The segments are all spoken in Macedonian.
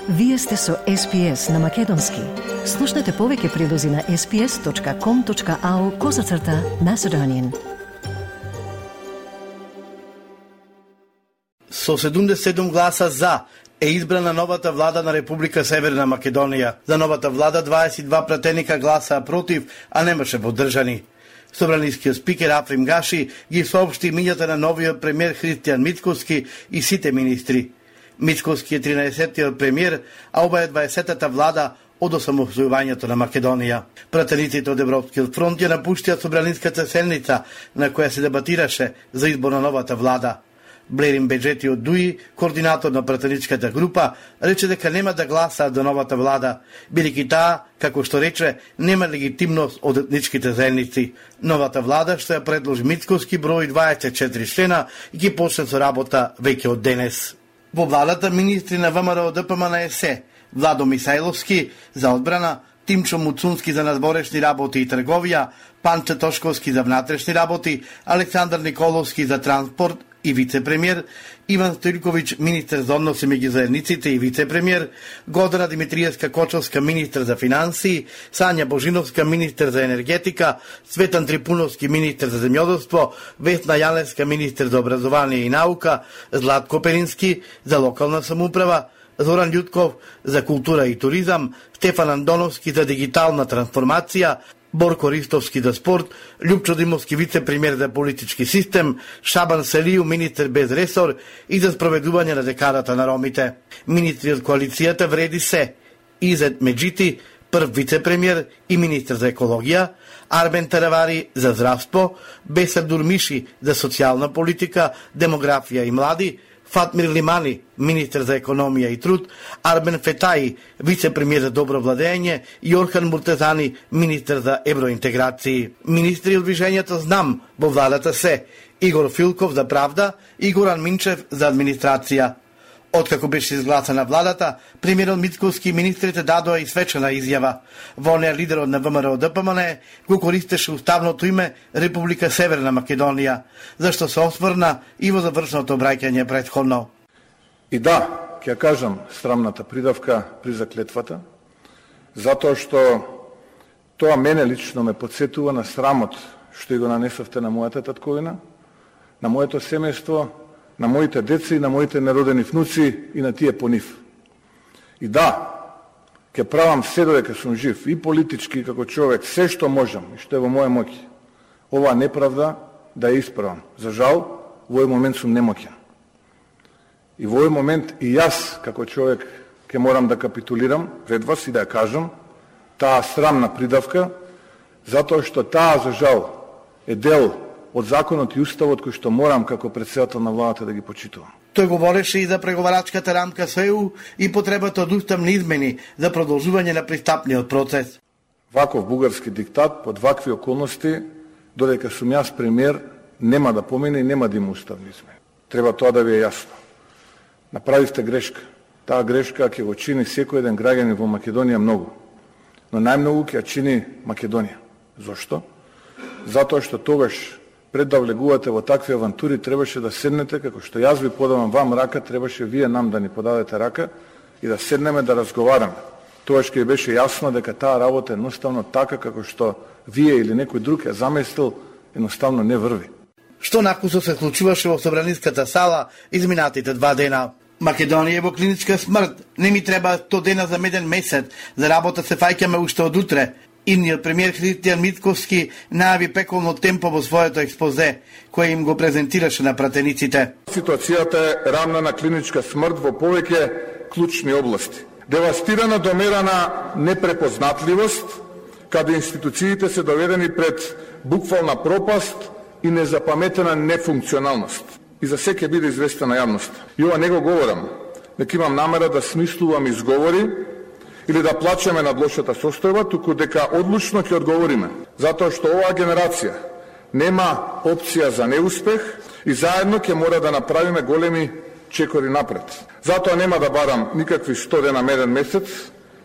Вие сте со SPS на Македонски. Слушнете повеќе прилози на sps.com.au/Macedonian. Со 77 гласа за е избрана новата влада на Република Северна Македонија. За новата влада 22 пратеника гласа против, а немаше поддржани. Собранискиот спикер Африм Гаши ги соопшти мињата на новиот премиер Христијан Мицкоски и сите министри. Мицкоски е 13-тиот премиер, а ова е 20-та влада од осамостојувањето на Македонија. Пратениците од Европскиот фронт ја напуштија собраниската седница на која се дебатираше за избор на новата влада. Блерин Беджети од ДУИ, координатор на пратеничката група, рече дека нема да гласаат за новата влада, бидејќи таа, како што рече, нема легитимност од етничките заедници. Новата влада што ја предложи Мицкоски брои 24 члена и ќе почне со работа веќе од денес. Во владата министри на ВМРО ДПМН се Владо Мисајловски за одбрана, Тимчо Муцунски за надворешни работи и трговија, Панче Тошковски за внатрешни работи, Александар Николовски за транспорт и вице-премиер, Иван Стојковиќ министер за односи меѓу заедниците и вице-премиер, Годана Димитриевска Кочовска министер за финансии, Сања Божиновска министер за енергетика, Светан Трипуновски министер за земјоделство, Весна Јаневска министер за образование и наука, Златко Перински за локална самоуправа, Зоран Љутков за култура и туризам, Стефан Андоновски за дигитална трансформација, Борко Ристовски за спорт, Љупчо Димовски вице-премиер за политички систем, Шабан Селију министер без ресор и за спроведување на декадата на ромите. Министри од коалицијата вреди се Изет Меджити, прв вице-премиер и министер за екологија, Арбен Таравари за здравство, Бесар Дурмиши за социјална политика, демографија и млади, Фатмир Лимани, министер за економија и труд, Арбен Фетаи, вице-премиер за добро владење и Орхан Муртезани, министер за евроинтеграции. Министри од движењето Знам во владата се Игор Филков за правда и Горан Минчев за администрација. Откако беше изгласана владата, премиерот Мицкоски и министрите дадоа и свечена изјава. Во неа лидерот на ВМРО ДПМН го користеше уставното име Република Северна Македонија, зашто се осврна и во завршното обраќање претходно. И да, ќе кажам срамната придавка при заклетвата, затоа што тоа мене лично ме подсетува на срамот што и го нанесовте на мојата татковина, на моето семејство, на моите деца и на моите неродени внуци и на тие по нив. И да, ќе правам се додека сум жив, и политички како човек, се што можам и што е во моја моќ, оваа неправда да ја исправам. За жал, во овој момент сум немоќен. И во овој момент и јас, како човек, ќе морам да капитулирам пред вас и да ја кажам таа срамна придавка, затоа што таа, за жал, е дел од законот и уставот кој што морам како претседател на владата да ги почитувам. Тој говореше и за преговарачката рамка со ЕУ и потребата од уставни измени за продолжување на пристапниот процес. Ваков бугарски диктат под вакви околности, додека сум јас премиер, нема да помине и нема да има уставни измени. Треба тоа да ви е јасно. Направивте грешка. Таа грешка ќе го чини секој еден граѓанин во Македонија многу. Но најмногу ќе ја чини Македонија. Зошто? Затоа што тогаш пред да влегувате во такви авантури, требаше да седнете, како што јас ви подавам вам рака, требаше вие нам да ни подадете рака и да седнеме да разговараме. Тогаш ќе беше јасно дека таа работа едноставно така како што вие или некој друг ја замислил, едноставно не врви. Што накусо се случуваше во собраниската сала изминатите 2 дена? Македонија е во клиничка смрт. Не ми треба 100 дена за меден месец. За работа се фаќаме уште од утре. Идниот премиер Христијан Мицкоски најави пеколно темпо во своето експозе, кој им го презентираше на пратениците. Ситуацијата е рамна на клиничка смрт во повеќе клучни области. Девастирана до мера на непрепознатливост, каде институциите се доведени пред буквална пропаст и незапаметена нефункционалност. И за се ќе биде известена јавноста. И ова не го говорам, дека имам намера да смислувам изговори или да плачеме над лошата состојба, туку дека одлучно ќе одговориме. Затоа што оваа генерација нема опција за неуспех и заедно ќе мора да направиме големи чекори напред. Затоа нема да барам никакви 100 дена меден месец,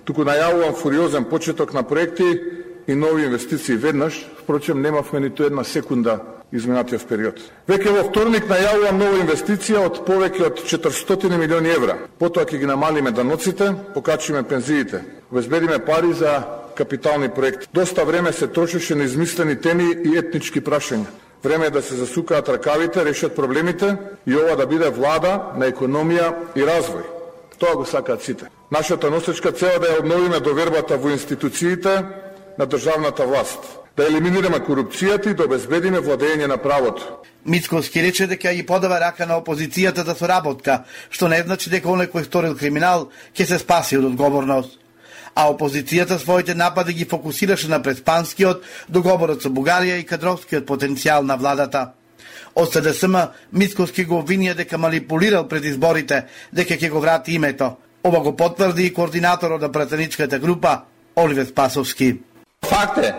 туку најавувам фуриозен почеток на проекти и нови инвестиции веднаш. Впрочем, немавме ниту една секунда изминатиот период. Веќе во вторник најавувам нова инвестиција од повеќе од 400 милиони евра. Потоа ќе ги намалиме даноците, покачиме пензиите, обезбедиме пари за капитални проекти. Доста време се трошеше на измислени теми и етнички прашања. Време е да се засукаат ракавите, решат проблемите и ова да биде влада на економија и развој. Тоа го сакаат сите. Нашата носечка цел е да ја обновиме довербата во институциите на државната власт, да елиминираме корупцијата и да обезбедиме владење на правото. Мицковски рече дека ги подава рака на опозицијата за соработка, што не значи дека оној кој сторил криминал ќе се спаси од одговорност. А опозицијата своите напади ги фокусираше на преспанскиот, договорот со Бугарија и кадровскиот потенцијал на владата. Од СДСМ Мицковски го обвинија дека манипулирал пред изборите, дека ќе го врати името. Ова го потврди и координаторот на пратеничката група Оливер Спасовски. Факт е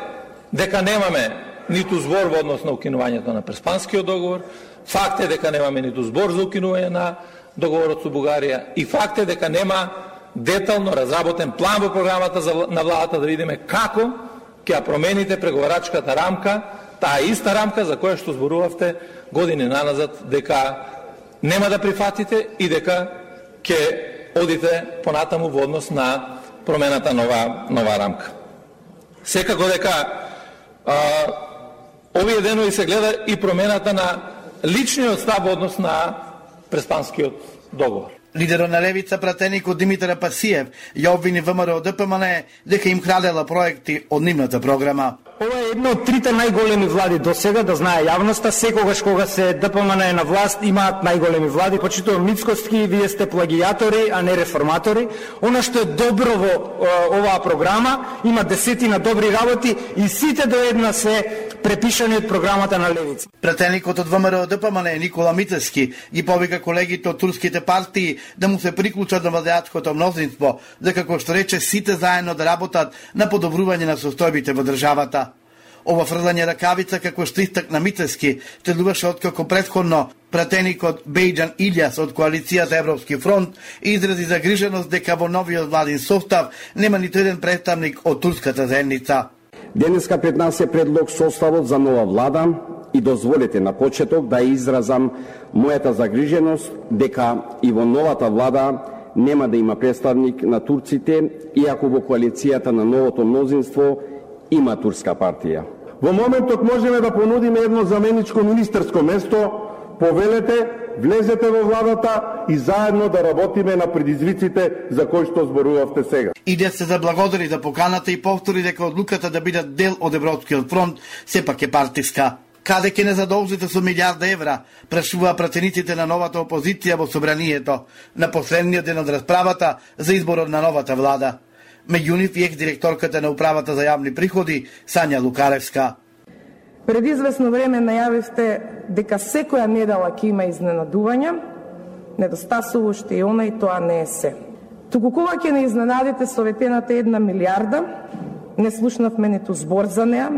дека немаме ниту збор во однос на укинувањето на преспанскиот договор, факт е дека немаме ниту збор за укинување на договорот со Бугарија и факт е дека нема детално разработен план во програмата на владата да видиме како ќе ја промените преговарачката рамка, таа иста рамка за која што зборувавте години наназад дека нема да прифатите и дека ќе одите понатаму во однос на промената нова рамка. Секако дека овие денови се гледа и промената на личниот став во однос на преспанскиот договор. Лидерот на левица пратеникот Димитар Пасиев ја обвини ВМРО ДПМН дека им крадела проекти од нивната програма. Ова е една од трите најголеми влади до сега, да знае јавноста, секогаш кога се ДПМН е на власт, имаат најголеми влади, почитувам Мицковски, вие сте плагијатори, а не реформатори. Она што е добро во оваа програма, има десетина добри работи и сите до една се препишани од програмата на левица. Пратеникот од ВМРО ДПМН Никола Митевски ги повика колегите од турските партии да му се приклучат на владеачкото мнозинство, за како што рече сите заедно да работат на подобрување на состојбите во државата. Ова фрлање ракавица, како што истакна Митевски, следуваше откако претходно пратеникот Бејџан Илјас од коалицијата Европски фронт изрази загриженост дека во новиот владин состав нема ниту еден представник од турската заедница. Денеска пред нас е предлог составот за нова влада и дозволете на почеток да изразам мојата загриженост дека и во новата влада нема да има представник на турците, иако во коалицијата на новото мнозинство има турска партија. Во моментот можеме да понудиме едно заменичко министерско место, повелете, влезете во владата и заедно да работиме на предизвиците за кои што зборувавте сега. Иде се заблагодари за поканата и повтори дека одлуката да бидат дел од Европскиот фронт сепак е партиска. Каде ќе не задолжите со милиарда евра, прашуваа пратениците на новата опозиција во собранието на последниот ден од расправата за изборот на новата влада. Меѓу нив и екс-директорката на управата за јавни приходи Сања Лукаревска. Пред известно време најавивте дека секоја недела ќе има изненадувања, недостасува уште и она и тоа не е се. Туку кога ќе не изненадите со ветената 1 милиарда, не слушнавме ниту збор за неа,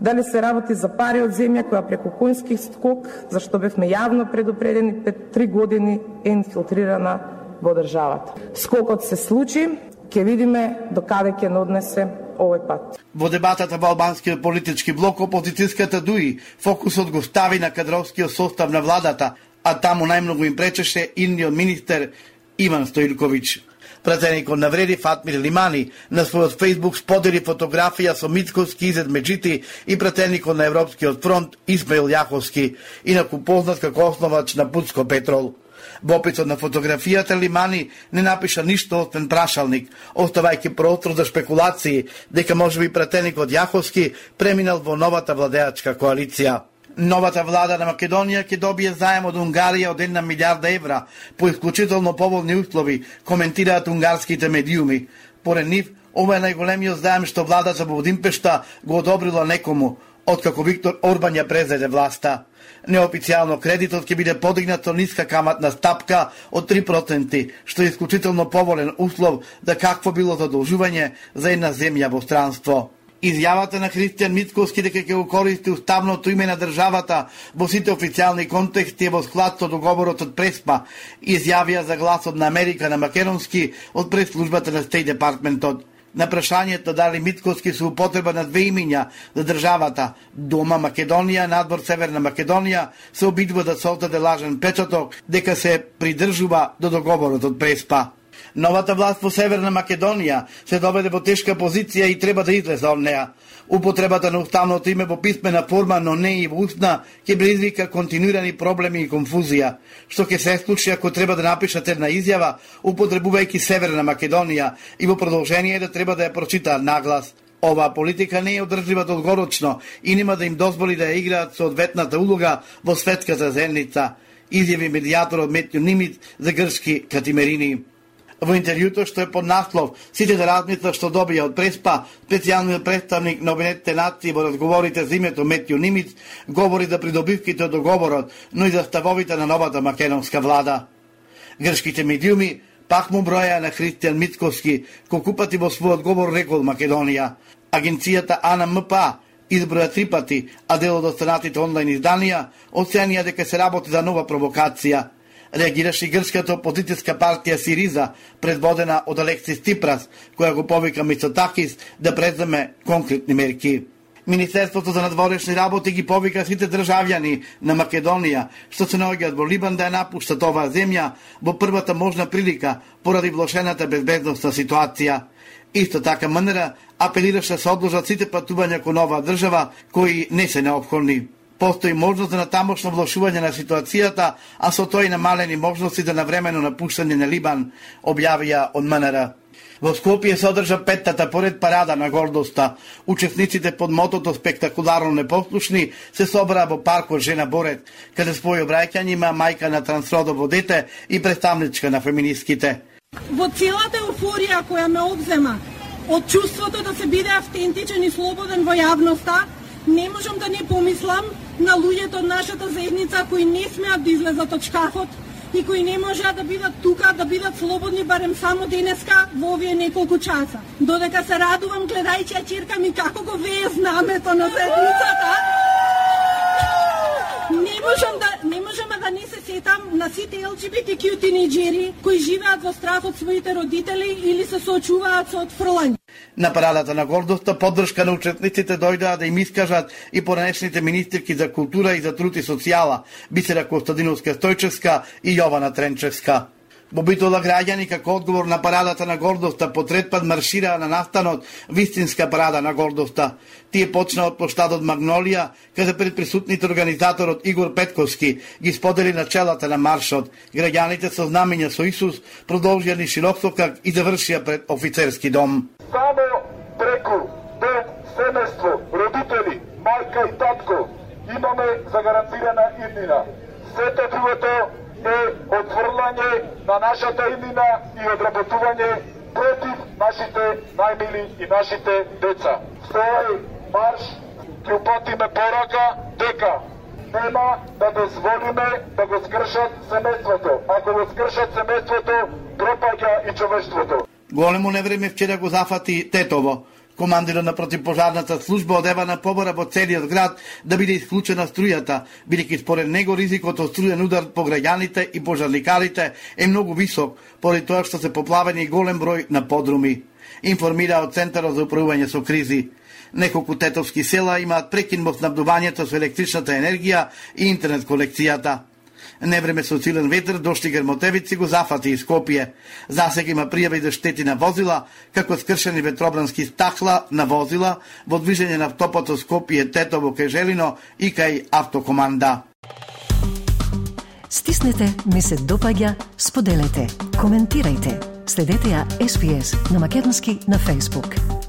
дали се работи за пари од земја која преку конски скок, зашто бевме јавно предупредени пред 3 години, е инфилтрирана во државата. Скокот се случи, ќе видиме до каде ќе однесе овој пат. Во дебатата во албанскиот политички блок, опозицијската ДУИ фокусот го стави на кадровскиот состав на владата, а таму најмногу им пречеше идниот министер Иван Стоилковиќ. Пратеникот навреди Фатмир Лимани на својот фејсбук сподели фотографија со Мицковски, Изет Меджити и пратеникот на Европскиот фронт Исмаил Јаховски, инаку познат како основач на Путско Петрол. Во описот на фотографијата Лимани не напиша ништо освен прашалник, оставајќи простор за шпекулации дека можеби пратеникот Јаховски преминал во новата владеачка коалиција. Новата влада на Македонија ќе добие заем од Унгарија од 1 милиарда евра по исклучително поволни услови, коментираат унгарските медиуми. Поред нив, ова е најголемиот заем што владата во Будимпешта го одобрила некому, откако Виктор Орбан ја презеде власта. Неофицијално кредитот ќе биде подигнат со ниска каматна стапка од 3%, што е исклучително поволен услов за какво било задолжување за една земја во странство. Изјавата на Христијан Мицковски дека ќе го користи уставното име на државата во сите официјални контексти е во склад со договорот од Преспа, изјавија за Гласот на Америка на македонски од пресслужбата на Стејт Департментот. На прашањето дали Мицкоски се употреба на две имиња за државата Дома Македонија, надвор Северна Македонија, се обидува да создаде лажен печаток дека се придржува до договорот од Преспа. Новата власт во Северна Македонија се доведе во тешка позиција и треба да излезе од неа. Употребата на уставното име во писмена форма, но не и во устна, ќе предизвика континуирани проблеми и конфузија, што ќе се случи ако треба да напишат една изјава, употребувајќи Северна Македонија и во продолжение да треба да ја прочитаат наглас. Оваа политика не е одржлива долгорочно и нема да им дозволи да ја играат соодветната улога во светската заедница, изјави медијаторот Метјо Нимиц за грчки Катимерини. Во интервјуто што е под наслов "Сите да размислат што добија од Преспа", специјалниот представник на Обединетите нации во разговорите за името Метјо Нимиц говори за придобивките од договорот, но и за ставовите на новата македонска влада. Грчките медиуми пак му броја на Христијан Мицкоски, колку пати во својот говор рекол Македонија. Агенцијата АНМПА изброја 3 пати, а дел од останатите онлайн изданија оценија дека се работи за нова провокација. Реагираше и грчката опозицијска партија Сириза, предводена од Алексис Ципрас, која го повика Мицотакис да преземе конкретни мерки. Министерството за надворешни работи ги повика сите државјани на Македонија, што се наоѓаат во Либан, да ја напуштат оваа земја во првата можна прилика поради влошената безбедносна ситуација. Исто така МНР апелираше се одложат сите патувања кон оваа држава кои не се неопходни. Постои можност за натамошно влошување на ситуацијата, а со тој намалени можности за навремено напуштање на Либан, објавија од МНР. Во Скопје се одржа 5-тата поред парада на гордоста. Учесниците под мотото "Спектакуларно непослушни" се собраа во паркот Жена Борет, каде свој обраќање има мајка на трансродово дете и представничка на феминистките. Во целата еуфорија која ме обзема од чувството да се биде автентичен и слободен во јавноста, не можам да не помислам на луѓето од нашата заедница кои не смеат да излезат од шкафот и кои не можеа да бидат тука, да бидат слободни барем само денеска во овие неколку часа. Додека се радувам гледајќи ја ќерка ми како го вее знамето на заедницата, не можам да не се сетам на сите ЛГБТQ тинејџери кои живеат во страх од своите родители или се соочуваат со отфрлање. На парадата на гордоста поддршка на учесниците дојдоа да им искажат и поранешните министерки за култура и за труд и социјала, Бисера Костадиновска-Стојчевска и Јована Тренчевска. Во Битола граѓани како одговор на парадата на гордоста по трет пат маршираа на настанот вистинска парада на гордоста. Тие почнаа од плоштадот Магнолија, каде пред присутните организаторот Игор Петковски ги сподели начелата на маршот. Граѓаните со знамења со Исус продолжија низ широксокак и завршија пред офицерски дом. Само преку дом, семејство, родители, мајка и татко имаме загарантирана иднина. Сето другото е отврлање на нашата иднина и одработување против нашите најмили и нашите деца. Со овој марш ќе упатиме порака дека нема да дозволиме да го скршат семејството. Ако го скршат семејството, пропаѓа и човештвото. Големо невреме вчера го зафати Тетово. Командирот на противпожарната служба одева на побора во целиот град да биде исклучена струјата, бидејќи според него ризикот од струјен удар по граѓаните и пожарникарите е многу висок, поради тоа што се поплавени голем број на подруми. Информира од Центарот за управување со кризи. Неколку тетовски села имаат прекин во снабдувањето со електричната енергија и интернет конекцијата. Невреме со силен ветер дошли грмотевици го зафати и Скопје. Засега има пријави за штети на возила, како скршени ветробрански стакла на возила во движење на автопатот Скопје Тетово кај Желино и кај Автокоманда. Стиснете, ми се допаѓа, споделете, коментирајте. Следете ја SPS на Македонски на Facebook.